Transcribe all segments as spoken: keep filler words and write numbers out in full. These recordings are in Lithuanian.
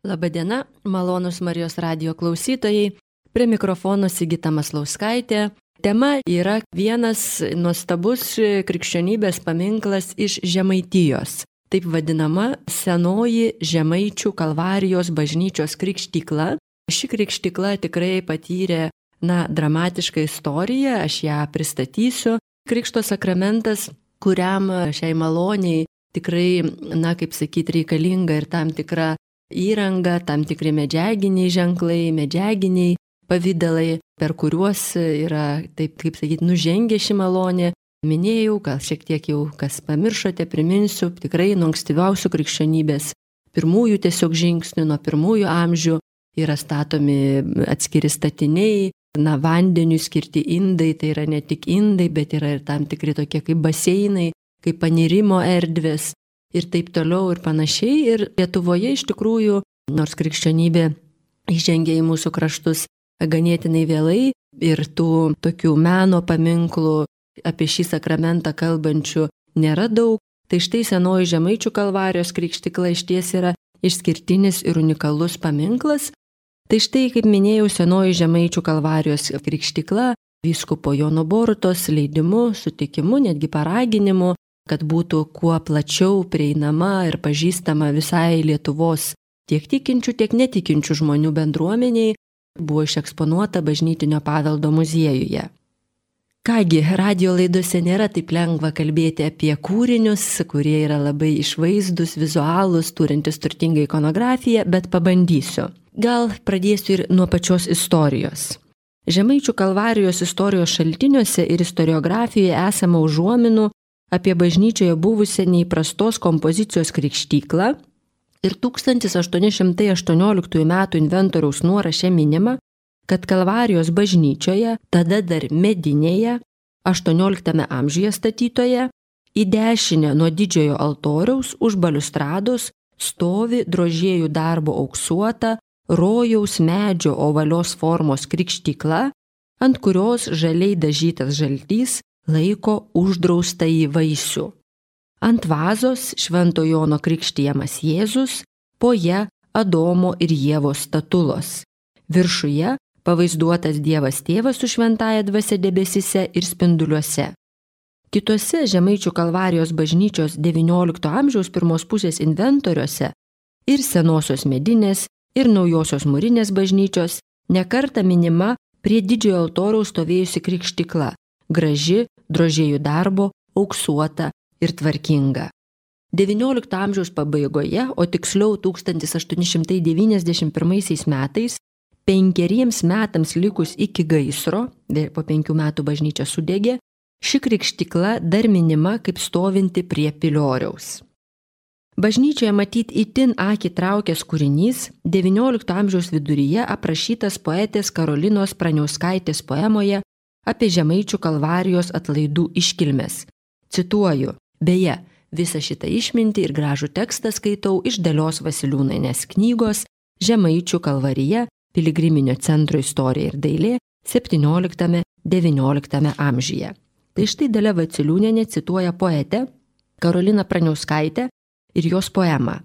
Labadiena, malonūs Marijos radijo klausytojai, prie mikrofono Sigita Maslauskaitė. Tema yra vienas nuostabus krikščionybės paminklas iš Žemaitijos, taip vadinama senoji Žemaičių Kalvarijos bažnyčios krikštykla. Ši krikštykla tikrai patyrė, na, dramatišką istoriją, aš ją pristatysiu. Krikšto sakramentas, kuriam šiai maloniai tikrai, na, kaip sakyti, reikalinga ir tam tikra įranga, tam tikri medžiaginiai ženklai, medžiaginiai pavydalai, per kuriuos yra, taip kaip sakyti, nužengė ši malonė. Minėjau, gal šiek tiek jau kas pamiršote, priminsiu, tikrai nuo ankstyviausių krikščionybės pirmųjų tiesiog žingsnių, nuo pirmųjų amžių yra statomi atskiri statiniai, na, vandeniui skirti indai, tai yra ne tik indai, bet yra ir tam tikri tokie kaip baseinai, kaip panirimo erdvės ir taip toliau ir panašiai. Ir Lietuvoje iš tikrųjų, nors krikščionybė įžengė į mūsų kraštus ganėtinai vėlai ir tų tokių meno paminklų apie šį sakramentą kalbančių nėra daug, tai štai senoji Žemaičių Kalvarijos krikštykla išties yra išskirtinis ir unikalus paminklas. Tai štai, kaip minėjau, senoji Žemaičių Kalvarijos krikštykla vyskupo Jono Borutos leidimu, sutikimu, netgi paraginimu, kad būtų kuo plačiau prieinama ir pažįstama visai Lietuvos tiek tikinčių, tiek netikinčių žmonių bendruomeniai, buvo išeksponuota bažnytinio paveldo muziejuje. Kągi, radio laidose nėra taip lengva kalbėti apie kūrinius, kurie yra labai išvaizdus, vizualūs, turintys turtingą ikonografiją, bet pabandysiu. Gal pradėsiu ir nuo pačios istorijos. Žemaičių Kalvarijos istorijos šaltiniuose ir istoriografijoje esama užuominų apie bažnyčioje buvusią neįprastos kompozicijos krikštyklą ir tūkstantis aštuoni šimtai aštuonioliktųjų metų inventoriaus nuoraše minima, kad Kalvarijos bažnyčioje, tada dar medinėje, aštuonioliktame amžiuje statytoje, į dešinę nuo didžiojo altoriaus už baliustrados stovi drožėjų darbo auksuota rojaus medžio ovalios formos krikštykla, ant kurios žaliai dažytas žaltys laiko uždraustąjį vaisių. Ant vazos Švento Jono krikštijamas Jėzus, po ja Adomo ir Ievos statulos. Viršuje pavaizduotas Dievas Tėvas su šventąja dvasia debesyse ir spinduliuose. Kitose Žemaičių Kalvarijos bažnyčios devyniolikto amžiaus pirmos pusės inventoriuose ir senosios medinės, ir naujosios mūrinės bažnyčios nekarta minima prie didžiojo altoriaus stovėjusi krikštykla, graži, drožėjų darbo, auksuota ir tvarkinga. devyniolikto amžiaus pabaigoje, o tiksliau tūkstantis aštuoni šimtai devyniasdešimt pirmaisiais metais, penkeriems metams likus iki gaisro, po penkių metų bažnyčia sudegė, ši krikštykla dar minima kaip stovinti prie pilioriaus. Bažnyčioje matyt itin akį traukęs kūrinys devyniolikto amžiaus viduryje aprašytas poetės Karolinos Praniauskaitės poemoje apie Žemaičių Kalvarijos atlaidų iškilmes. Cituoju, beje, visą šitą išmintį ir gražų tekstą skaitau iš Dalios Vasiliūnainės knygos Žemaičių Kalvarija, piligriminio centro istorija ir dailė septynioliktame devynioliktame amžiuje. Tai štai Dalia Vasiliūnienė cituoja poetę Karoliną Praniauskaitę ir jos poemą.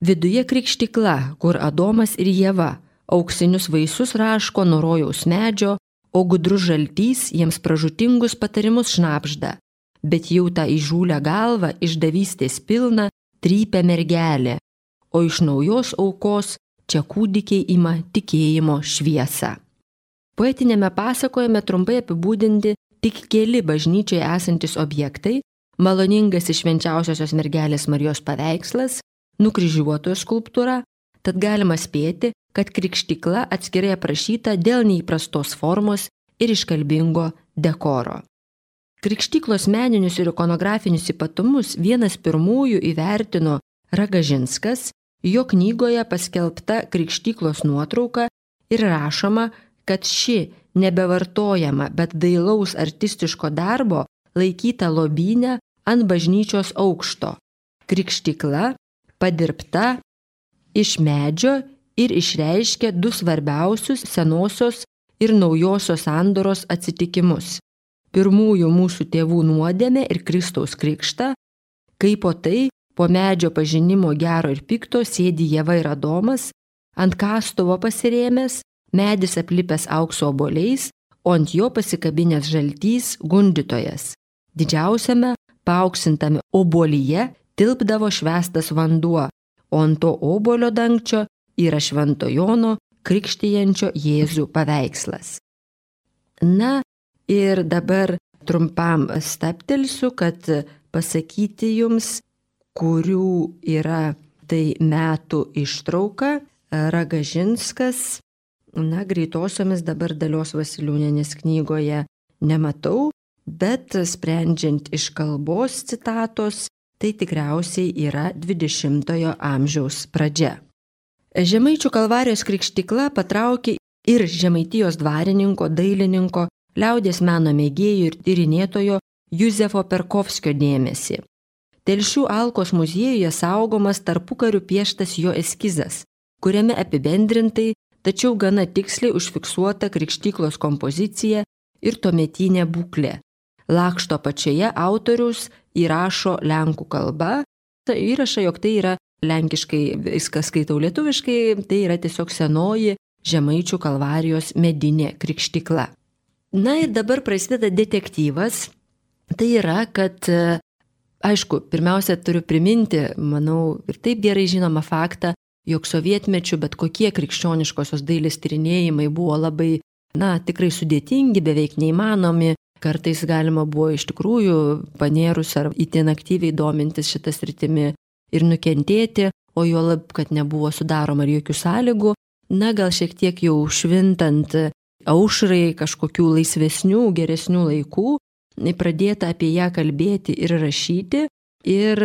Viduje krikštykla, kur Adomas ir Ieva auksinius vaisius raško nuo rojaus medžio, o gudrus žaltys jiems pražutingus patarimus šnabžda, bet jau tą įžūlę galvą išdavystės pilną trypia mergelė, o iš naujos aukos čia kūdikiai ima tikėjimo šviesą. Poetinėme pasakojime trumpai apibūdinti tik keli bažnyčioje esantis objektai, maloningasis švenčiausiosios mergelės Marijos paveikslas, nukryžiuotojo skulptūra, tad galima spėti, kad krikštykla atskirai aprašyta dėl neįprastos formos ir iškalbingo dekoro. Krikštyklos meninius ir ikonografinius ypatumus vienas pirmųjų įvertino Ragažinskas, jo knygoje paskelbta krikštyklos nuotrauka ir rašoma, kad ši nebevartojama, bet dailaus artistiško darbo laikyta lobyne ant bažnyčios aukšto. Krikštykla padirbta iš medžio ir išreiškia du svarbiausius senosios ir naujosios sandoros atsitikimus. Pirmųjų mūsų tėvų nuodėmę ir Kristaus krikštą, kaip po tai po medžio pažinimo gero ir pikto sėdi Ieva ir Adomas, ant kastuvo pasirėmęs, medis aplipęs aukso obuoliais, o ant jo pasikabinęs žaltys gundytojas. Didžiausiame, paaukštintame obuolyje tilpdavo švęstas vanduo, o ant to obuolio dangčio yra Švento Jono krikštijančio Jėzų paveikslas. Na ir dabar trumpam stabtelsiu, kad pasakyti jums, kurių yra tai metų ištrauka. Ragažinskas, na, greitosiomis dabar Dalios Vasiliūnienės knygoje nematau, bet sprendžiant iš kalbos citatos, tai tikriausiai yra dvidešimtojo amžiaus pradžia. Žemaičių Kalvarijos krikštykla patraukė ir Žemaitijos dvarininko, dailininko, liaudies meno mėgėjų ir tyrinėtojo Juzefo Perkovskio dėmesį. Telšių Alkos muziejuje saugomas tarpukariu pieštas jo eskizas, kuriame apibendrintai, tačiau gana tiksliai užfiksuota krikštyklos kompozicija ir tuometinė būklė. Lakšto apačioje autorius įrašo lenkų kalba, įrašo, jog tai yra lenkiškai, viską skaitau lietuviškai, tai yra tiesiog senoji Žemaičių Kalvarijos medinė krikštykla. Na ir dabar prasideda detektyvas, tai yra, kad, aišku, pirmiausia turiu priminti, manau, ir taip gerai žinomą faktą, jog sovietmečiu bet kokie krikščioniškosios dailės tyrinėjimai buvo labai, na, tikrai sudėtingi, beveik neįmanomi, kartais galima buvo iš tikrųjų panėrus ar itin aktyviai domintis šitą sritimi ir nukentėti, o juolab, kad nebuvo sudaroma ir jokių sąlygų, na, gal šiek tiek jau švintant aušrai kažkokių laisvesnių, geresnių laikų, pradėta apie ją kalbėti ir rašyti ir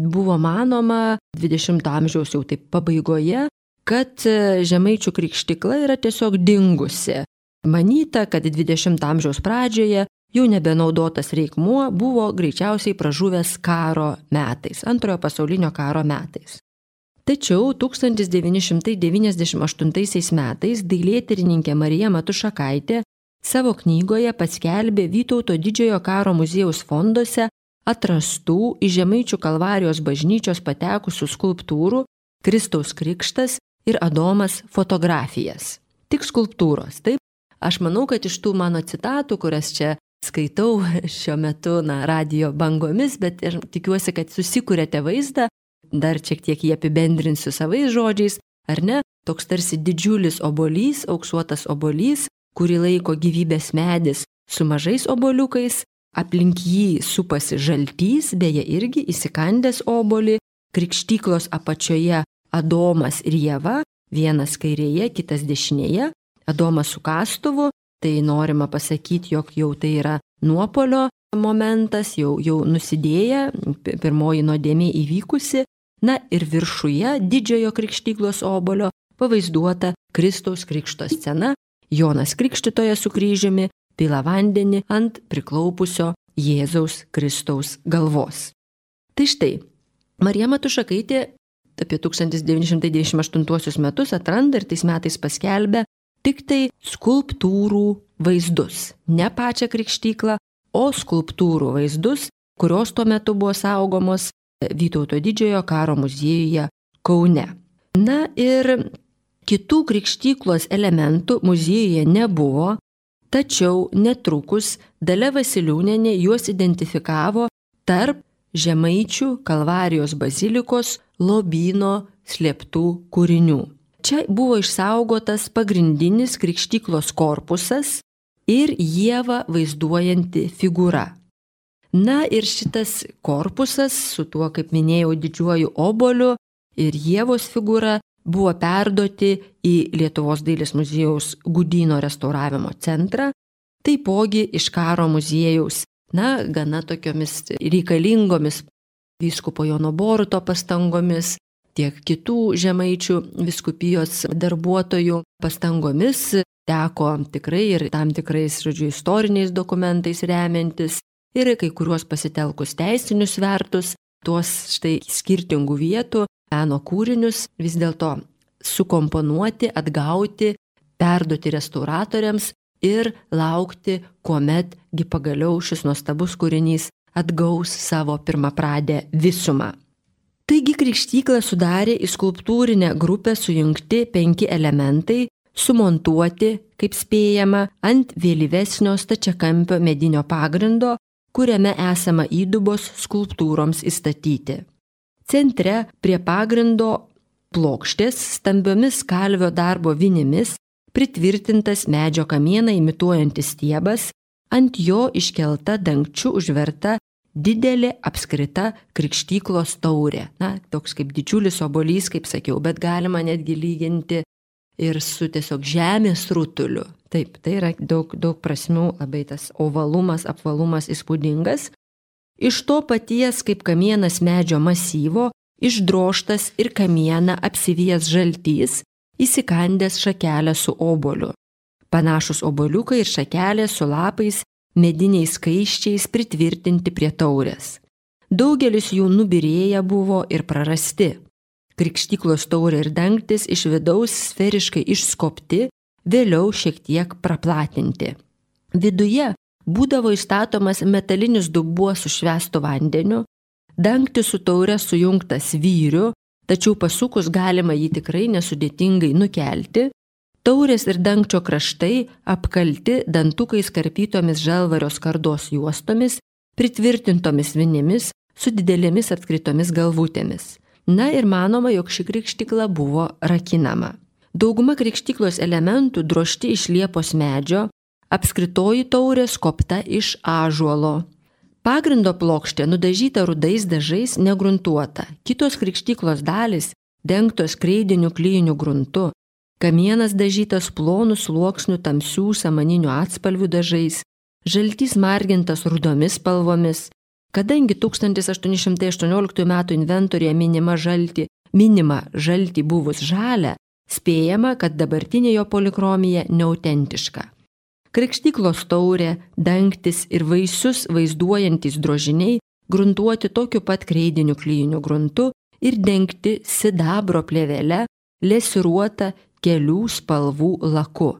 buvo manoma dvidešimto amžiaus jau taip pabaigoje, kad Žemaičių krikštykla yra tiesiog dingusi. Manyta, kad dvidešimto amžiaus pradžioje jau nebenaudotas reikmuo buvo greičiausiai pražuvęs karo metais, antrojo pasaulinio karo metais. Tačiau tūkstantis devyni šimtai devyniasdešimt aštuntaisiais metais dailėtyrininkė Marija Matušakaitė savo knygoje paskelbė Vytauto didžiojo karo muziejaus fonduose atrastų į Žemaičių Kalvarijos bažnyčios patekusių skulptūrų Kristaus Krikštas ir Adomas fotografijas. Tik skulptūros, taip? Aš manau, kad iš tų mano citatų, kurias čia skaitau šiuo metu, na, radijo bangomis, bet ir tikiuosi, kad susikūrėte vaizdą, dar šiek tiek jį apibendrinsiu savais žodžiais, ar ne? Toks tarsi didžiulis obuolys, auksuotas obuolys, kurį laiko gyvybės medis su mažais obuoliukais, aplink jį supasi žaltys, beje irgi įsikandęs obuolį, krikštyklos apačioje Adomas ir Ieva, vienas kairėje, kitas dešinėje, Adomas su kastuvu, tai norima pasakyti, jog jau tai yra nuopolio momentas, jau, jau nusidėję, pirmoji nuodėmė įvykusi, na ir viršuje didžiojo krikštyklos obuolio pavaizduota Kristaus krikšto scena, Jonas Krikštytojas su kryžiumi pila vandenį ant priklaupusio Jėzaus Kristaus galvos. Tai štai, Marija Matušakaitė apie tūkstantis devyni šimtai devyniasdešimt aštuntuosius metus atranda ir tais metais paskelbė tik tai skulptūrų vaizdus. Ne pačią krikštyklą, o skulptūrų vaizdus, kurios tuo metu buvo saugomos Vytauto didžiojo karo muziejuje Kaune. Na ir kitų krikštyklos elementų muziejuje nebuvo, tačiau netrukus Dalia Vasiliūnienė juos identifikavo tarp Žemaičių Kalvarijos bazilikos lobyno slėptų kūrinių. Čia buvo išsaugotas pagrindinis krikštyklos korpusas ir Ievą vaizduojanti figūra. Na ir šitas korpusas su tuo, kaip minėjau, didžiuoju obuoliu ir Ievos figūra buvo perduoti į Lietuvos dailės muziejaus Gudyno restauravimo centrą, taipogi iš karo muziejaus, na, gana tokiomis reikalingomis vyskupo Jono Boruto pastangomis, tiek kitų Žemaičių vyskupijos darbuotojų pastangomis teko tikrai ir tam tikrais, žodžiu, istoriniais dokumentais remiantis ir kai kuriuos pasitelkus teisinius svertus, tuos štai skirtingų vietų meno kūrinius vis dėlto sukomponuoti, atgauti, perduoti restauratoriams ir laukti, kuometgi pagaliau šis nuostabus kūrinys atgaus savo pirmapradę visumą. Taigi krikštyklą sudarė į skulptūrinę grupę sujungti penki elementai, sumontuoti, kaip spėjama, ant vėlyvesnio stačiakampio medinio pagrindo, kuriame esama įdubos skulptūroms įstatyti. Centre prie pagrindo plokštės stambiomis kalvio darbo vinimis pritvirtintas medžio kamieną imituojantis stiebas, ant jo iškelta dangčiu užverta didelė apskrita krikštyklos taurė. Na, toks kaip didžiulis obuolys, kaip sakiau, bet galima netgi lyginti ir su tiesiog žemės rutuliu. Taip, tai yra daug, daug prasmių, labai tas ovalumas, apvalumas įspūdingas. Iš to paties kaip kamienas medžio masyvo, išdroštas ir kamieną apsivijęs žaltys, įsikandęs šakelę su obuoliu. Panašus obuoliukai ir šakelės su lapais, mediniais kaiščiais pritvirtinti prie taurės. Daugelis jų nubyrėję buvo ir prarasti. Krikštyklos taurė ir dangtis iš vidaus sferiškai išskobti, vėliau šiek tiek praplatinti. Viduje būdavo įstatomas metalinis dubuo su švęstu vandeniu, dangtis su taure sujungtas vyriu, tačiau pasukus galima jį tikrai nesudėtingai nukelti. Taurės ir dangčio kraštai apkalti dantukais karpytomis žalvario skardos juostomis, pritvirtintomis vinimis su didelėmis atkritomis galvutėmis. Na ir manoma, jog ši krikštykla buvo rakinama. Dauguma krikštyklos elementų drožti iš liepos medžio, apskritoji taurė skobta iš ąžuolo. Pagrindo plokštė nudažyta rudais dažais negruntuota, kitos krikštyklos dalys dengtos kreidiniu klijiniu gruntu. Kamienas dažytas plonų sluoksnių tamsių samaninių atspalvių dažais, žaltys margintas rudomis spalvomis. Kadangi tūkstantis aštuoni šimtai aštuonioliktųjų metų inventoriuje minima žaltį, minima žaltį buvus žalia, spėjama, kad dabartinė jo polichromija neautentiška. Krikštyklos taurė, dangtis ir vaisius vaizduojantys drožiniai gruntuoti tokiu pat kreidiniu klijiniu gruntu ir dengti sidabro plėvele, lesiruota kelių spalvų laku.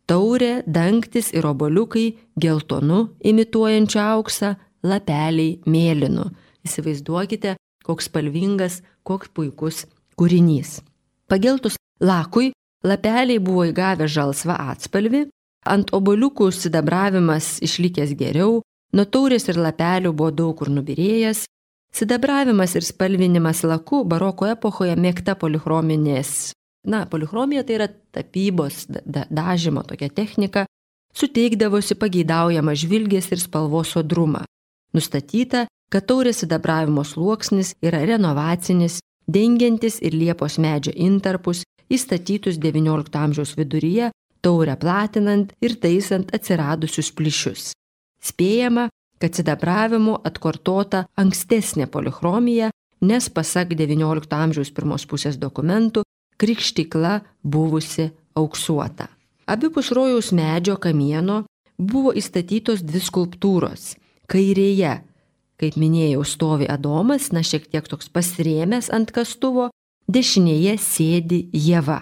Taurė, dangtis ir obuoliukai geltonu imituojančiu auksą, lapeliai mėlynu. Įsivaizduokite, koks spalvingas, koks puikus kūrinys. Pageltus lakui, lapeliai buvo įgavę žalsvą atspalvį, ant obuoliukų sidabravimas išlikęs geriau, nuo taurės ir lapelių buvo daug kur nubyrėjęs. Sidabravimas ir spalvinimas laku baroko epochoje mėgta polichrominės. Na, polichromija tai yra tapybos, da, dažymo tokia technika, suteikdavosi pageidaujamą žvilgės ir spalvos sodrumą. Nustatyta, kad taurės sidabravimo sluoksnis yra renovacinis, dengiantis ir liepos medžio intarpus, įstatytus devyniolikto amžiaus viduryje, taurę platinant ir taisant atsiradusius plyšius. Spėjama, kad sidabravimu atkartota ankstesnė polichromija, nes pasak devyniolikto amžiaus pirmos pusės dokumentų, krikštykla buvusi auksuota. Abipus rojaus medžio kamieno buvo įstatytos dvi skulptūros. Kairėje, kaip minėjau, stovi Adomas, na šiek tiek toks pasirėmęs ant kastuvo, dešinėje sėdi Ieva.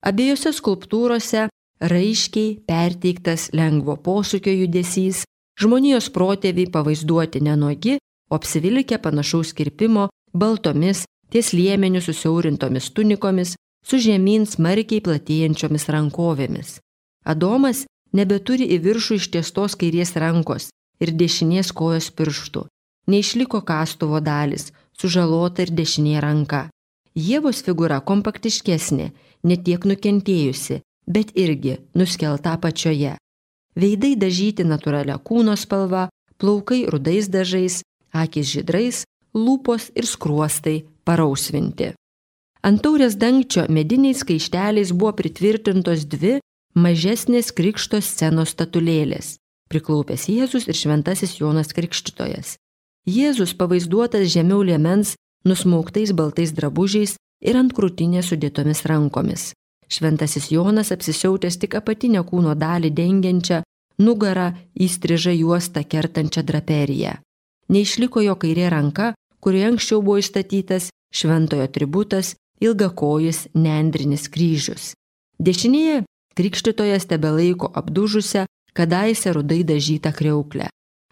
Abiejose skulptūrose raiškiai perteiktas lengvo posūkio judesys, žmonijos protėviai pavaizduoti nenuogi, o apsivilkę panašaus kirpimo baltomis ties liemeniu susiaurintomis tunikomis, su žemyn smarkiai platėjančiomis rankovėmis. Adomas nebeturi į viršų ištiestos kairės rankos ir dešinės kojos pirštų. Neišliko kastuvo dalis, sužalota ir dešinė ranka. Ievos figūra kompaktiškesnė, netiek nukentėjusi, bet irgi nuskelta apačioje. Veidai dažyti natūralia kūno spalva, plaukai rudais dažais, akys žydrais, lūpos ir skruostai parausvinti. Ant taurės dangčio mediniais kaišteliais buvo pritvirtintos dvi mažesnės krikšto scenos statulėlės – priklaupęs Jėzus ir šventasis Jonas Krikštytojas. Jėzus pavaizduotas žemiau liemens, nusmauktais baltais drabužiais ir ant krūtinės sudėtomis rankomis. Šventasis Jonas apsisiautęs tik apatinę kūno dalį dengiančią, nugarą įstrižą juostą kertančią draperiją. Neišliko jo kairė ranka, kurioje anksčiau buvo įstatytas šventojo atributas ilgakojis nendrinis kryžius. Dešinėje Krikštytojas tebelaiko apdužusią, kadaise rudai dažytą kriauklę.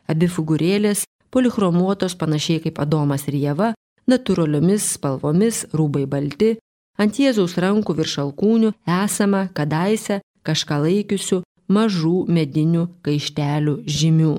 Abi figūrėlės, polichromuotos panašiai kaip Adomas ir Ieva, natūraliomis spalvomis, rūbai balti, ant Jėzaus rankų virš alkūnių esama kadaise kažką laikiusių mažų medinių kaištelių žymių.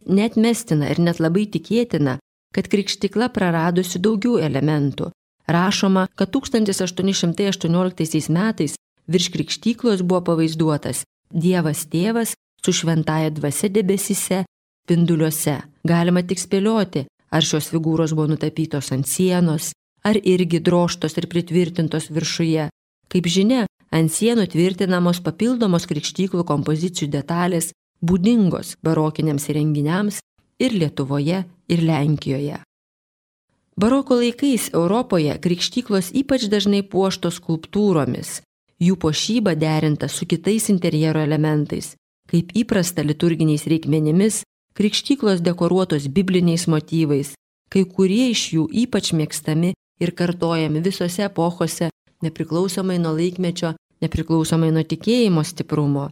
Net mestina ir net labai tikėtina, kad krikštykla praradusi daugiau elementų. Rašoma, kad tūkstantis aštuoni šimtai aštuonioliktaisiais metais virš krikštyklos buvo pavaizduotas Dievas Tėvas su šventaja dvasia debesyse, spinduliuose. Galima tik spėlioti, ar šios figūros buvo nutapytos ant sienos, ar irgi drožtos ir pritvirtintos viršuje. Kaip žinia, ant sienų tvirtinamos papildomos krikštyklų kompozicijų detalės, būdingos barokiniams įrenginiams ir Lietuvoje, ir Lenkijoje. Baroko laikais Europoje krikštyklos ypač dažnai puoštos skulptūromis, jų puošyba derinta su kitais interjero elementais, kaip įprasta liturginiais reikmenimis, krikštyklos dekoruotos bibliniais motyvais, kai kurie iš jų ypač mėgstami ir kartojami visose epochose, nepriklausomai nuo laikmečio, nepriklausomai nuo tikėjimo stiprumo.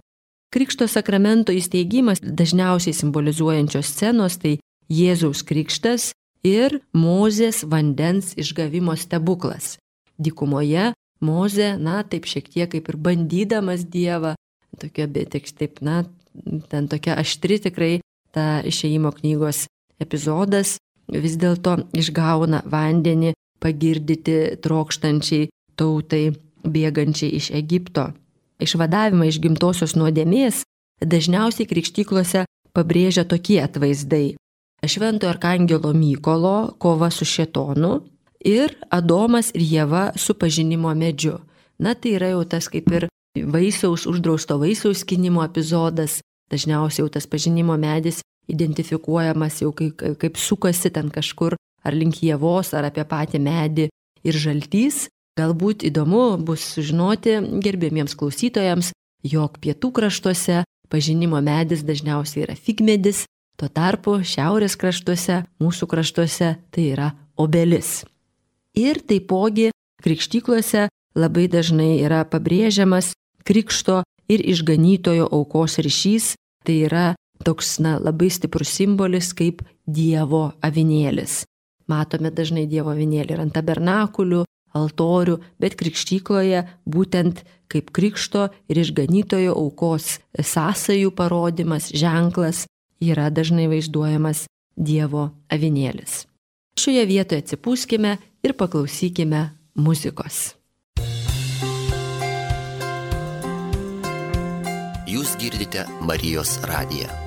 Krikšto sakramento įsteigimas dažniausiai simbolizuojančios scenos tai Jėzaus krikštas ir Mozės vandens išgavimo stebuklas. Dykumoje Mozė, na, taip šiek tiek kaip ir bandydamas Dievą, tokia, bet taip, na, ten tokia aštri tikrai ta Išėjimo knygos epizodas, vis dėlto išgauna vandenį pagirdyti trokštančiai tautai bėgančiai iš Egipto. Išvadavimą iš gimtosios nuodėmės dažniausiai krikštyklose pabrėžia tokie atvaizdai: Šventojo arkangelo Mykolo kova su šėtonu ir Adomas ir Ieva su pažinimo medžiu. Na, tai yra jau tas kaip ir vaisiaus, uždrausto vaisiaus skynimo epizodas. Dažniausiai jau tas pažinimo medis identifikuojamas jau kaip, kaip sukasi ten kažkur ar link Ievos, ar apie patį medį ir žaltys. Galbūt įdomu bus sužinoti gerbėmiems klausytojams, jog pietų kraštuose pažinimo medis dažniausiai yra figmedis, tuo tarpu šiaurės kraštuose, mūsų kraštuose tai yra obelis. Ir taipogi krikštyklose labai dažnai yra pabrėžiamas krikšto ir išganytojo aukos ryšys, tai yra toks, na, labai stiprus simbolis kaip Dievo avinėlis. Matome dažnai Dievo avinėlį ir ant tabernakulių, altorių, bet krikštykloje būtent kaip krikšto ir išganytojo aukos sąsajų parodymas, ženklas yra dažnai vaizduojamas Dievo avinėlis. Šioje vietoje atsipūskime ir paklausykime muzikos. Jūs girdite Marijos radiją.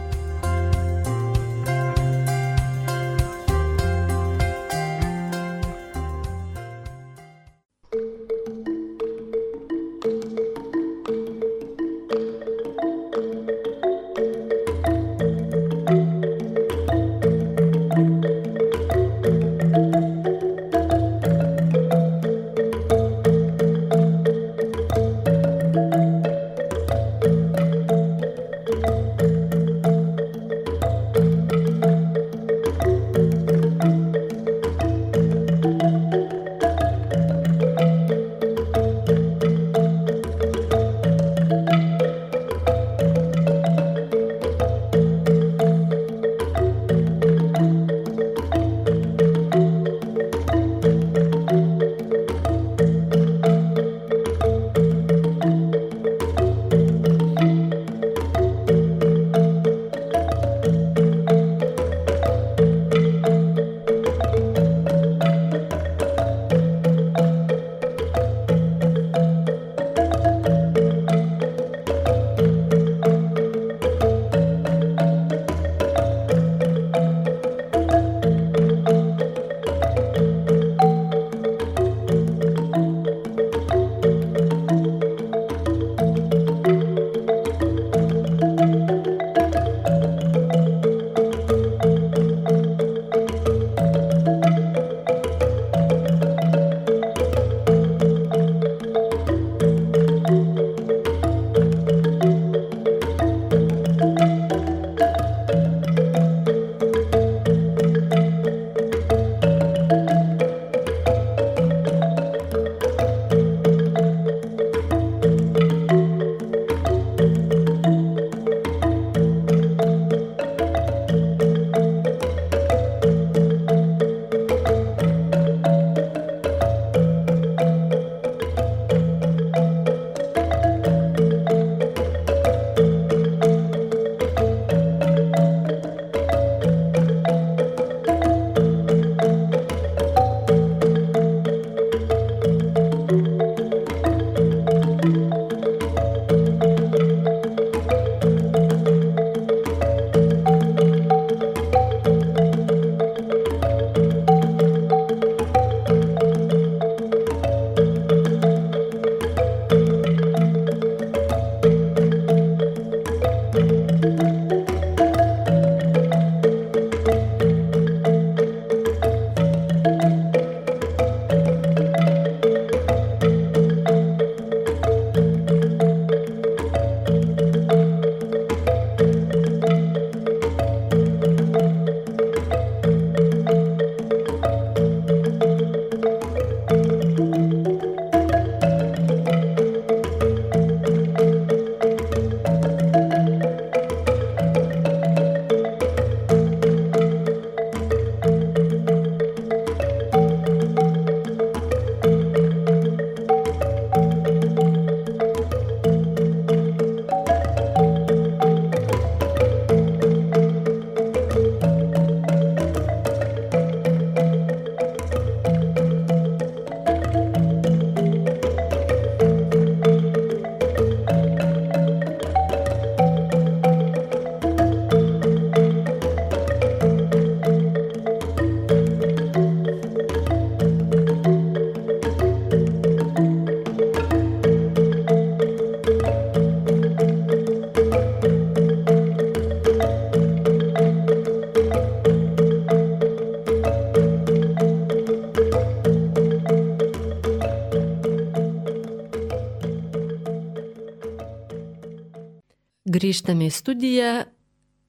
Grįžtame į studiją.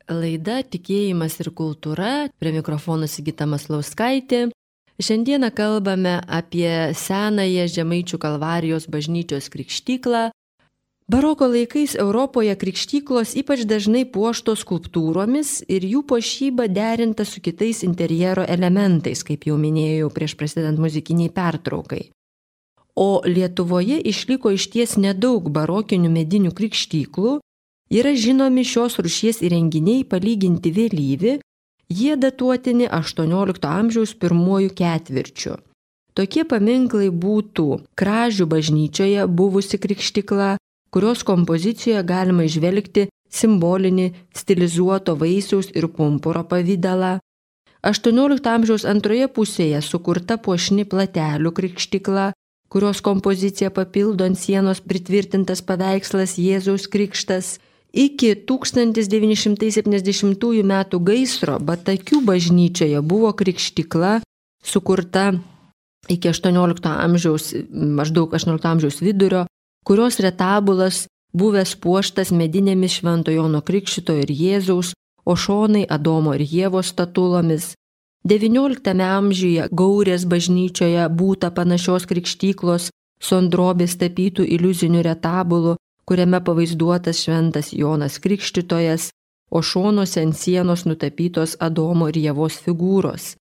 Laida Tikėjimas ir kultūra. Prie mikrofono Sigita Maslauskaitė. Šiandieną kalbame apie senąją Žemaičių Kalvarijos bažnyčios krikštyklą. Baroko laikais Europoje krikštyklos ypač dažnai puoštos skulptūromis ir jų puošyba derinta su kitais interjero elementais, kaip jau minėjau prieš prasidedant muzikiniai pertraukai. O Lietuvoje išliko išties nedaug barokinių medinių krikštyklų, yra žinomi šios rūšies įrenginiai palyginti vėlyvi, jie datuotini aštuoniolikto amžiaus pirmuoju ketvirčiu. Tokie paminklai būtų Kražių bažnyčioje buvusi krikštykla, kurios kompozicijoje galima įžvelgti simbolinį stilizuoto vaisiaus ir pumpuro pavidalą. aštuoniolikto amžiaus antroje pusėje sukurta puošni Platelių krikštykla, kurios kompoziciją papildo ant sienos pritvirtintas paveikslas Jėzaus Krikštas. Iki tūkstantis devyni šimtai septyniasdešimtųjų metų gaisro Batakių bažnyčioje buvo krikštykla sukurta iki aštuoniolikto amžiaus, maždaug aštuoniolikto amžiaus vidurio, kurios retabulas buvęs puoštas medinėmis Švento Jono Krikštytojo ir Jėzaus, o šonai Adomo ir Ievos statulomis. devynioliktame amžiuje Gaurės bažnyčioje būta panašios krikštyklos su ant drobės tapytų iliuzinių retabulų, kuriame pavaizduotas Šventas Jonas Krikštytojas, o šonuose ant sienos nutapytos Adomo ir Ievos figūros.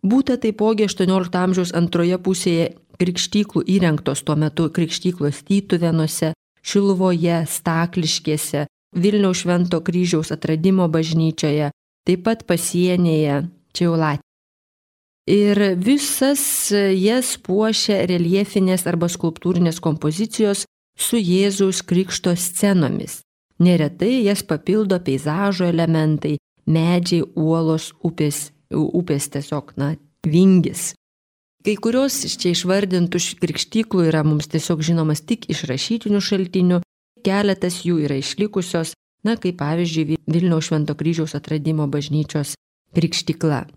Būta taipogi aštuoniolikto amžiaus antroje pusėje krikštyklų įrengtos tuo metu krikštyklos Tytuvėnuose, Šiluvoje, Stakliškėse, Vilniaus Švento Kryžiaus Atradimo bažnyčioje, taip pat pasienyje, čia jau Latvija. Ir visas jas puošia reljefinės arba skulptūrinės kompozicijos su Jėzaus Krikšto scenomis. Neretai jas papildo peizažo elementai, medžiai, uolos, upės, upės tiesiog, na, vingis. Kai kurios čia išvardintų krikštyklų yra mums tiesiog žinomas tik iš rašytinių šaltinių, keletas jų yra išlikusios, na, kaip pavyzdžiui Vilniaus Švento Kryžiaus Atradimo bažnyčios krikštykla.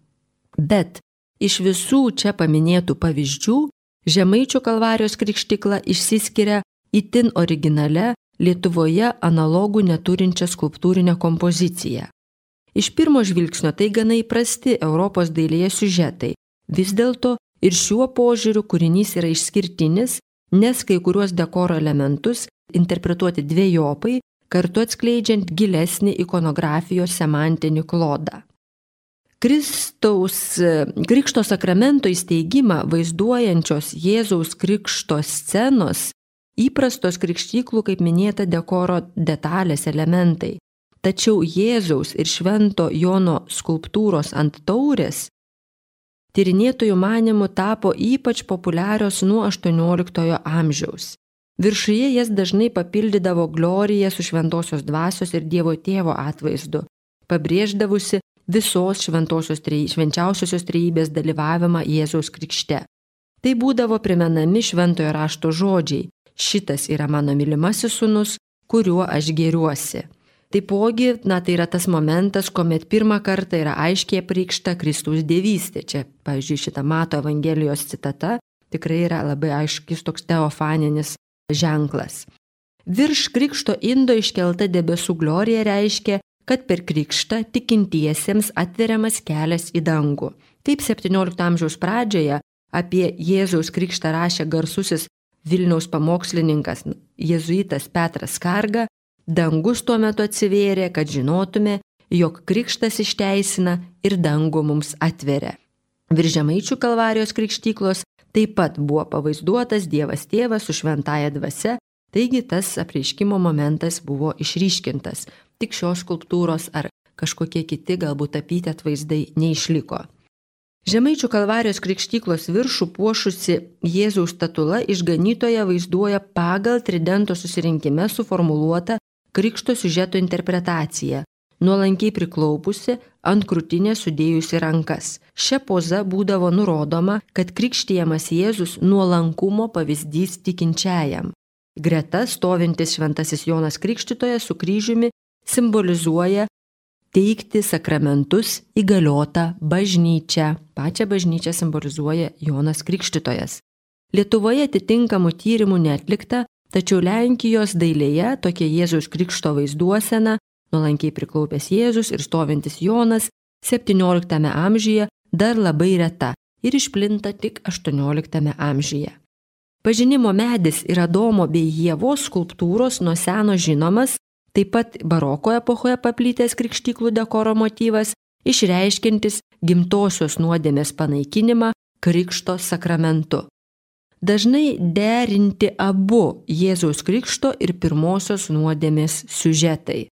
Bet iš visų čia paminėtų pavyzdžių Žemaičių Kalvarijos krikštykla išsiskiria itin originale Lietuvoje analogų neturinčią skulptūrinę kompoziciją. Iš pirmo žvilgsnio tai gana įprasti Europos dailėje siužetai. Vis dėlto ir šiuo požiūriu kūrinys yra išskirtinis, nes kai kuriuos dekoro elementus interpretuoti dvejopai, kartu atskleidžiant gilesnį ikonografijos semantinį klodą. Kristaus Krikšto sakramento įsteigimą vaizduojančios Jėzaus Krikšto scenos įprastos krikštyklų, kaip minėta, dekoro detalės elementai. Tačiau Jėzaus ir Švento Jono skulptūros ant taurės tyrinėtojų manymų tapo ypač populiarios nuo aštuonioliktojo amžiaus. Viršuje jas dažnai papildydavo glorija su šventosios dvasios ir Dievo Tėvo atvaizdu, pabrėždavusi visos šventosios trejy, švenčiausiosios trejybės dalyvavimą Jėzaus Krikšte. Tai būdavo primenami šventojo rašto žodžiai: šitas yra mano mylimasis sūnus, kuriuo aš gėriuosi. Taipogi, na, tai yra tas momentas, kuomet pirmą kartą yra aiškiai apreikšta Kristaus dievystė. Čia, pavyzdžiui, šita Mato Evangelijos citata tikrai yra labai aiškis toks teofaninis ženklas. Virš Krikšto indo iškelta debesų glorija reiškia, kad per Krikštą tikintiesiems atveriamas kelias į dangų. Taip septyniolikto amžiaus pradžioje apie Jėzaus Krikštą rašė garsusis Vilniaus pamokslininkas jėzuitas Petras Skarga. Dangus tuo metu atsivėrė, kad žinotume, jog Krikštas išteisina ir dangų mums atveria. Virš Žemaičių Kalvarijos krikštyklos taip pat buvo pavaizduotas Dievas Tėvas su šventąja dvasia, taigi tas apreiškimo momentas buvo išryškintas. Tik šios skulptūros ar kažkokie kiti galbūt tapyti atvaizdai neišliko. Žemaičių Kalvarijos krikštyklos viršų puošusi Jėzaus statula išganytoje vaizduoja pagal Tridento susirinkime suformuluotą Krikšto siužeto interpretaciją, nuolankiai priklaupusi, ant krūtinės sudėjusi rankas. Šia poza būdavo nurodoma, kad krikštijamas Jėzus nuolankumo pavyzdys tikinčiajam. Greta stovintis šventasis Jonas Krikštytojas su kryžiumi simbolizuoja teikti sakramentus įgaliotą bažnyčią. Pačią bažnyčią simbolizuoja Jonas Krikštytojas. Lietuvoje atitinkamų tyrimų neatlikta, Tačiau Lenkijos dailėje tokia Jėzaus Krikšto vaizduosena, nuolankiai priklaupęs Jėzus ir stovintis Jonas septynioliktame amžiuje dar labai reta ir išplinta tik aštuonioliktame amžiuje. Pažinimo medis ir Adomo bei Ievos skulptūros nuo seno žinomas, taip pat baroko epochoje paplitęs krikštyklų dekoro motyvas, išreiškiantis gimtosios nuodėmės panaikinimą Krikšto sakramentu. Dažnai derinti abu Jėzaus Krikšto ir pirmosios nuodėmės siužetai.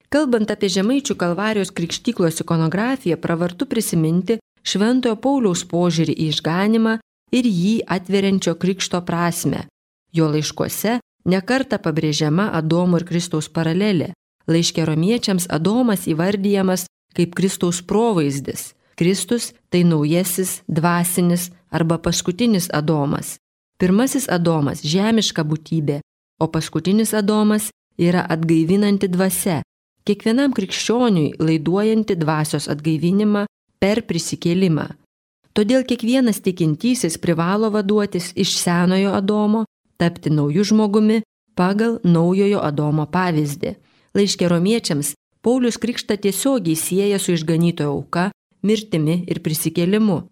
Kalbant apie Žemaičių Kalvarijos krikštyklos ikonografiją, pravartu prisiminti Šventojo Pauliaus požiūrį į išganimą ir jį atveriančio krikšto prasme. Jo laiškuose nekarta pabrėžiama Adomo ir Kristaus paralelė. Laiške romiečiams Adomas įvardijamas kaip Kristaus provaizdis. Kristus tai naujasis, dvasinis arba paskutinis Adomas. Pirmasis Adomas – žemiška būtybė, o paskutinis Adomas yra atgaivinanti dvasia, kiekvienam krikščioniui laiduojanti dvasios atgaivinimą per prisikėlimą. Todėl kiekvienas tikintysis privalo vaduotis iš senojo Adomo, tapti naujų žmogumi pagal naujojo Adomo pavyzdį. Laiške romiečiams Paulius krikštą tiesiogiai sieja su išganytojo auka, mirtimi ir prisikėlimu.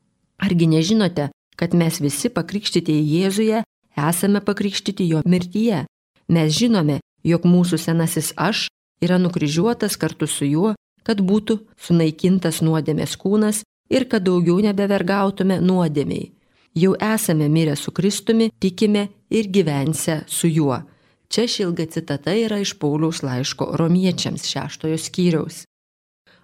Argi nežinote, kad mes visi pakrikštyti į Jėzuje esame pakrikštyti jo mirtyje? Mes žinome, jog mūsų senasis aš yra nukryžiuotas kartu su juo, kad būtų sunaikintas nuodėmės kūnas ir kad daugiau nebevergautume nuodėmei. Jau esame mirę su Kristumi, tikime ir gyvense su juo. Čia ši ilga citata yra iš Pauliaus laiško romiečiams šeštojo skyriaus.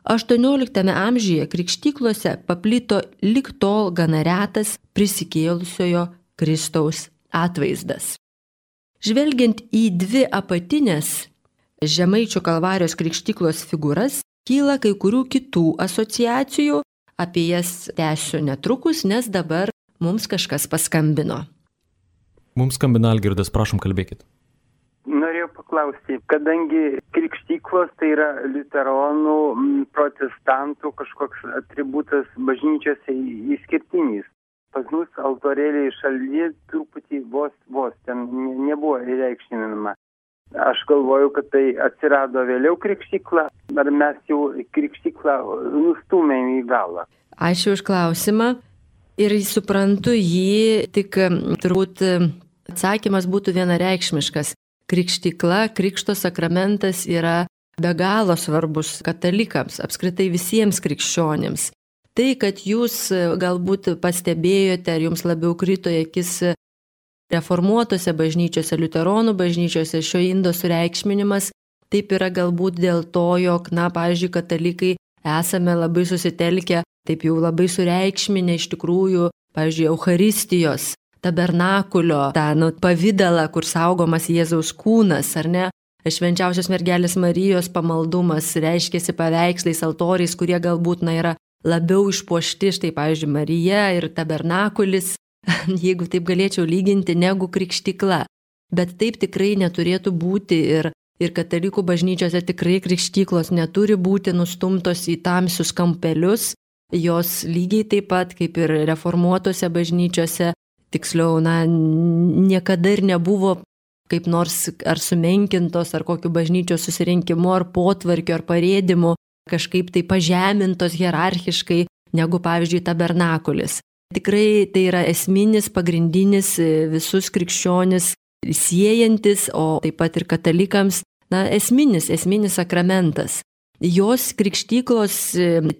aštuonioliktame amžiuje krikštyklose paplito lig tol gana retas prisikėlusiojo Kristaus atvaizdas. Žvelgiant į dvi apatinės Žemaičių Kalvarijos krikštyklos figūras, kyla kai kurių kitų asociacijų, apie jas tęsiu netrukus, nes dabar mums kažkas paskambino. Mums skambina Algirdas, prašom kalbėkit. Norėjau paklausti, kadangi krikštyklos tai yra liuteronų, protestantų kažkoks atributas bažnyčiose išskirtinis. Pas mus altorėliai šalyje truputį vos, vos ten nebuvo įreikšminama. Aš galvoju, kad tai atsirado vėliau krikštykla, ar mes jau krikštyklą nustūmėm į galą. Ačiū už klausimą ir suprantu jį, tik turbūt atsakymas būtų vienareikšmiškas. Krikštykla, krikšto sakramentas yra be galo svarbus katalikams, apskritai visiems krikščionims. Tai, kad jūs galbūt pastebėjote, ar jums labiau krito į akis reformuotose bažnyčiose, liuteronų bažnyčiose šio indo sureikšminimas, taip yra galbūt dėl to, jog, na, pavyzdžiui, katalikai esame labai susitelkę, taip jau labai sureikšminę iš tikrųjų, pavyzdžiui, Eucharistijos, tabernakulio, tą nu, pavidalą, kur saugomas Jėzaus kūnas, ar ne? Švenčiausios mergelės Marijos pamaldumas reiškiasi paveikslais, altoriais, kurie galbūt na, yra labiau išpuošti, štai, pavyzdžiui, Marija ir tabernakulis, jeigu taip galėčiau lyginti, negu krikštykla. Bet taip tikrai neturėtų būti ir, ir katalikų bažnyčiose tikrai krikštyklos neturi būti nustumtos į tamsius kampelius, jos lygiai taip pat kaip ir reformuotose bažnyčiose, tiksliau, na, niekada ir nebuvo kaip nors ar sumenkintos, ar kokiu bažnyčios susirinkimu, ar potvarkiu, ar parėdimu, kažkaip tai pažemintos hierarchiškai, negu, pavyzdžiui, tabernakulis. Tikrai tai yra esminis, pagrindinis visus krikščionis siejantis, o taip pat ir katalikams, na, esminis, esminis sakramentas. Jos krikštyklos,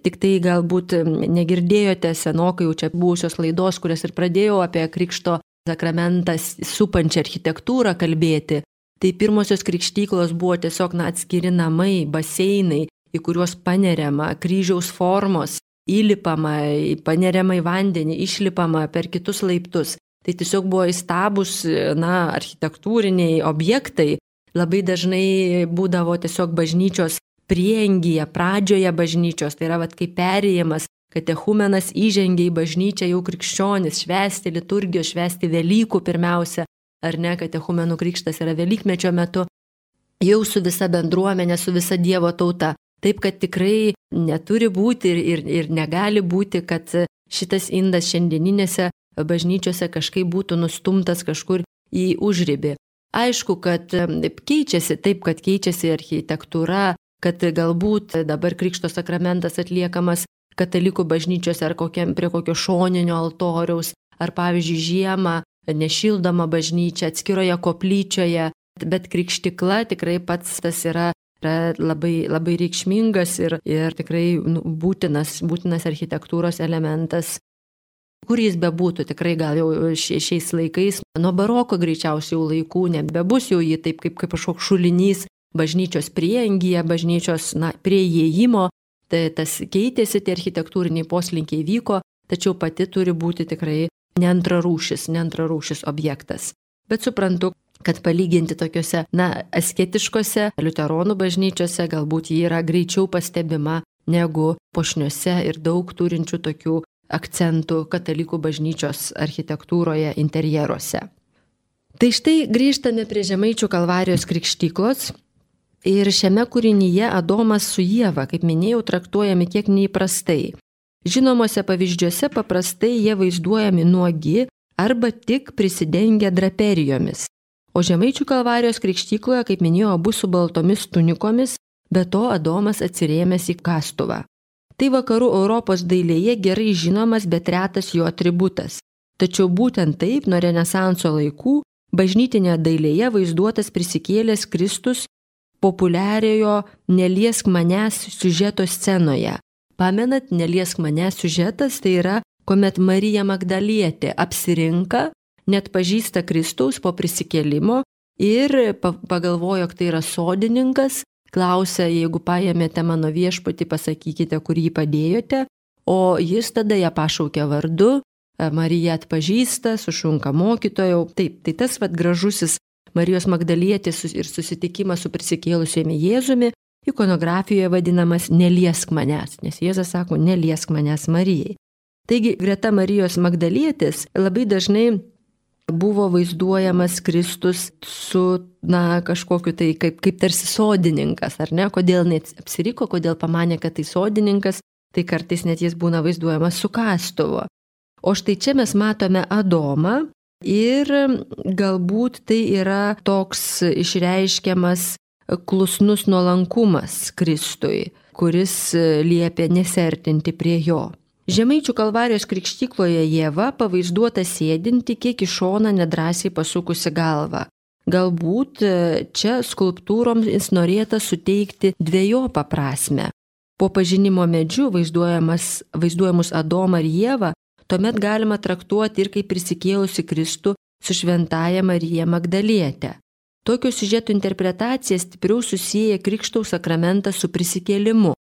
tik tai galbūt negirdėjote senokai jau čia buvusios laidos, kurias ir pradėjau apie krikšto sakramentą supančią architektūrą kalbėti, tai pirmosios krikštyklos buvo tiesiog na, atskiri namai, baseinai, į kuriuos paneriama kryžiaus formos, įlipama, paneriama į vandenį, išlipama per kitus laiptus. Tai tiesiog buvo įstabus na, architektūriniai objektai, labai dažnai būdavo tiesiog bažnyčios priengyje, pradžioje bažnyčios, tai yra vat, kaip perėjimas, katechumenas įžengia į bažnyčią jau krikščionis, švęsti liturgijos, švęsti Velykų pirmiausia, ar ne, katechumenų krikštas yra Velykmečio metu, jau su visa bendruomenė, su visa Dievo tauta. Taip, kad tikrai neturi būti ir, ir, ir negali būti, kad šitas indas šiandieninėse bažnyčiose kažkaip būtų nustumtas kažkur į užribį. Aišku, kad keičiasi, taip, kad keičiasi architektūra, kad galbūt dabar Krikšto sakramentas atliekamas katalikų bažnyčiose ar kokiam, prie kokio šoninio altoriaus, ar pavyzdžiui žiemą nešildoma bažnyčia atskiroje koplyčioje, bet krikštikla tikrai pats tas yra, yra labai, labai reikšmingas ir, ir tikrai nu, būtinas, būtinas architektūros elementas. Kur jis bebūtų, tikrai gal jau šiais laikais, nuo baroko greičiausiai laikų nebebus jau jį taip kaip, kaip kažkoks šulinys bažnyčios priengyje, bažnyčios na, prie įėjimo, tai tas keitėsi, tie architektūriniai poslinkiai vyko, tačiau pati turi būti tikrai neantrarūšis, neantrarūšis objektas. Bet suprantu, kad palyginti tokiuose, na, asketiškose liuteronų bažnyčiose galbūt ji yra greičiau pastebima negu puošniuose ir daug turinčių tokių akcentų katalikų bažnyčios architektūroje, interjeruose. Tai štai grįžtame prie Žemaičių Kalvarijos krikštyklos ir šiame kūrinyje Adomas su Ieva, kaip minėjau, traktuojami kiek neįprastai. Žinomose pavyzdžiuose paprastai jie vaizduojami nuogi arba tik prisidengę draperijomis. O Žemaičių Kalvarijos krikštykloje, kaip minėjau, abu su baltomis tunikomis, be to Adomas atsirėmęs į kastuvą. Tai vakarų Europos dailėje gerai žinomas, bet retas jo atributas. Tačiau būtent taip nuo Renesanso laikų bažnytinėje dailėje vaizduotas prisikėlęs Kristus populiariojo Neliesk manęs siužeto scenoje. Pamenat, Neliesk manęs siužetas tai yra, kuomet Marija Magdalietė apsirinka, net pažįsta Kristaus po prisikėlimo ir pagalvojo, jog tai yra sodininkas, klausia, jeigu paėmėte mano viešpatį, pasakykite, kur jį padėjote, o jis tada ją pašaukia vardu, Marija atpažįsta, sušunka mokytojau. Taip, tai tas vat gražusis Marijos Magdalietės ir susitikimas su prisikėlusiumi Jėzumi ikonografijoje vadinamas Neliesk manęs, nes Jėzas sako, neliesk manęs Marijai. Taigi, greta Marijos Magdalietės labai dažnai buvo vaizduojamas Kristus su, na, kažkokiu tai kaip, kaip tarsi sodininkas, ar ne? Kodėl net apsiriko, kodėl pamanė, kad tai sodininkas, tai kartais net jis būna vaizduojamas su kastuvu. O štai čia mes matome Adomą ir galbūt tai yra toks išreiškiamas klusnus nuolankumas Kristui, kuris liepia nesertinti prie jo. Žemaičių Kalvarijos krikštykloje Ieva pavaizduota sėdinti kiek į šoną nedrąsiai pasukusi galvą. Galbūt čia skulptūroms norėta suteikti dvejopą prasmę. Po pažinimo medžiu vaizduojamus Adomą ir Ievą tuomet galima traktuoti ir kaip prisikėlusi Kristų su šventąja Marija Magdaliete. Tokio siužeto interpretacija stipriau susieja Krikštaus sakramentą su prisikėlimu.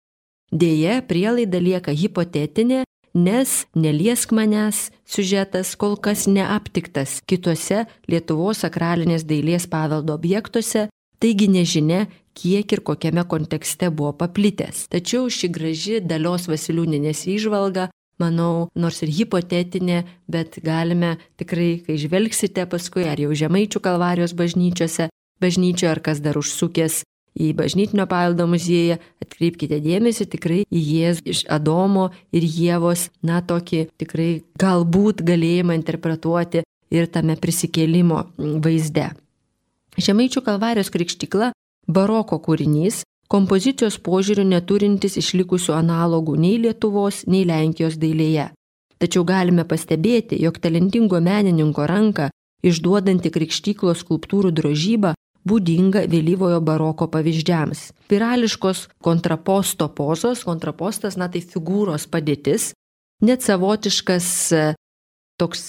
Deja, prielaida lieka hipotetinė, nes Neliesk manęs siužetas kol kas neaptiktas kituose Lietuvos sakralinės dailės paveldo objektuose, taigi nežinia, kiek ir kokiame kontekste buvo paplitęs. Tačiau ši graži Dalios Vasiliūnienės įžvalga, manau, nors ir hipotetinė, bet galime tikrai, kai žvelgsite paskui, ar jau Žemaičių Kalvarijos bažnyčiose, bažnyčioje, ar kas dar užsukęs į bažnytinio paveldo muziejų, atkreipkite dėmesį tikrai į Jėzų iš Adomo ir Ievos, na, tokį tikrai galbūt galėjimą interpretuoti ir tame prisikėlimo vaizde. Žemaičių Kalvarijos krikštykla baroko kūrinys, kompozicijos požiūrių neturintis išlikusių analogų nei Lietuvos, nei Lenkijos dailėje. Tačiau galime pastebėti, jog talentingo menininko ranką išduodanti krikštyklos skulptūrų drožybą būdinga vėlyvojo baroko pavyzdžiams. Spirališkos kontraposto pozos, kontrapostas, na tai figūros padėtis, net savotiškas toks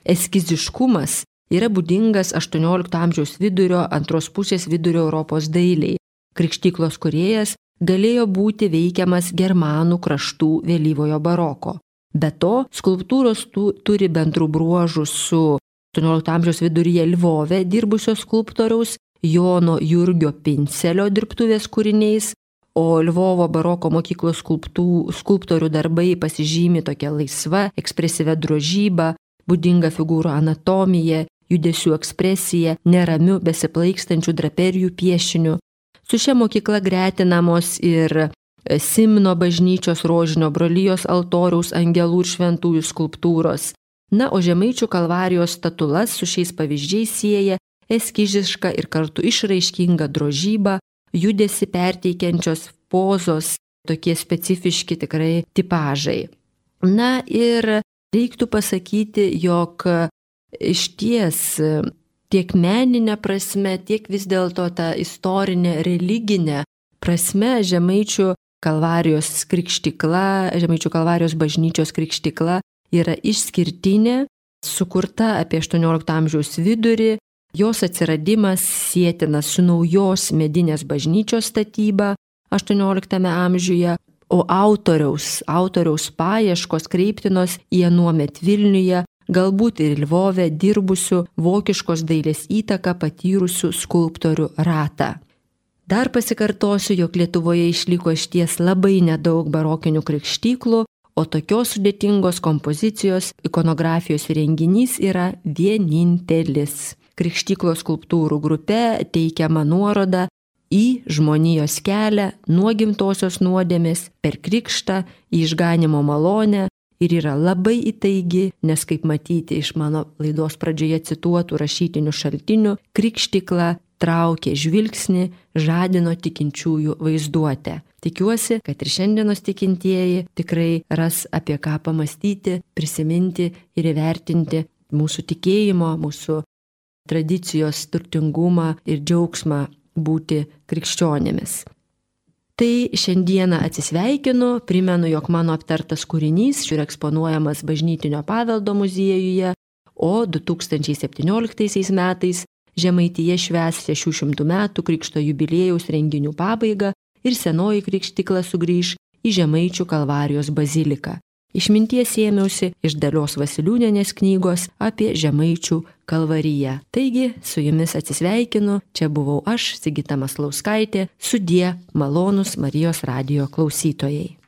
eskiziškumas yra būdingas aštuoniolikto amžiaus vidurio, antros pusės vidurio Europos dailiai. Krikštyklos kūrėjas galėjo būti veikiamas germanų kraštų vėlyvojo baroko. Be to, skulptūros tu, turi bendrų bruožų su aštuoniolikto amžiaus viduryje Lvove dirbusio skulptoriaus Jono Jurgio Pincelio dirbtuvės kūriniais, o Lvovo baroko mokyklos skulptų, skulptorių darbai pasižymi tokia laisva, ekspresyvia drožyba, būdinga figūrų anatomija, judesių ekspresija, neramių besiplaikstančių draperijų piešinių. Su šia mokykla gretinamos ir Simno bažnyčios rožinio brolijos altoriaus angelų ir šventųjų skulptūros. Na, o Žemaičių Kalvarijos statulas su šiais pavyzdžiais sieja eskiziška ir kartu išraiškinga drožyba, judesi perteikiančios pozos, tokie specifiški tikrai tipažai. Na ir reiktų pasakyti, jog iš ties tiek meninė prasme, tiek vis dėlto ta istorinė, religinė prasme Žemaičių Kalvarijos krikštykla, Žemaičių Kalvarijos bažnyčios krikštykla yra išskirtinė, sukurta apie aštuoniolikto amžiaus vidurį, jos atsiradimas sietinas su naujos medinės bažnyčios statyba aštuonioliktame amžiuje, o autoriaus, autoriaus paieškos kreiptinos į anuomet Vilniuje, galbūt ir Lvove dirbusių vokiškos dailės įtaką patyrusių skulptorių ratą. Dar pasikartosiu, jog Lietuvoje išliko išties labai nedaug barokinių krikštyklų, o tokios sudėtingos kompozicijos ikonografijos renginys yra vienintelis. Krikštyklos skulptūrų grupe teikiama nuoroda į žmonijos kelią nuo gimtosios nuodėmės per krikštą į išganimo malonę ir yra labai įtaigi, nes kaip matyti iš mano laidos pradžioje cituotų rašytinių šaltinių, krikštykla traukė žvilgsnį, žadino tikinčiųjų vaizduotę. Tikiuosi, kad ir šiandienos tikintieji tikrai ras apie ką pamastyti, prisiminti ir įvertinti mūsų tikėjimo, mūsų tradicijos turtingumą ir džiaugsmą būti krikščionėmis. Tai šiandieną atsisveikinu, primenu, jog mano aptartas kūrinys yra eksponuojamas Bažnytinio paveldo muziejuje, o du tūkstančiai septynioliktaisiais metais Žemaitija švęs šešių šimtų metų krikšto jubiliejaus renginių pabaigą ir senoji krikštykla sugrįž į Žemaičių Kalvarijos baziliką. Išminties ėmiausi iš Dalios Vasiliūnienės knygos apie Žemaičių Kalvariją. Taigi, su jumis atsisveikinu, čia buvau aš, Sigita Maslauskaitė, sudie malonūs Marijos radijo klausytojai.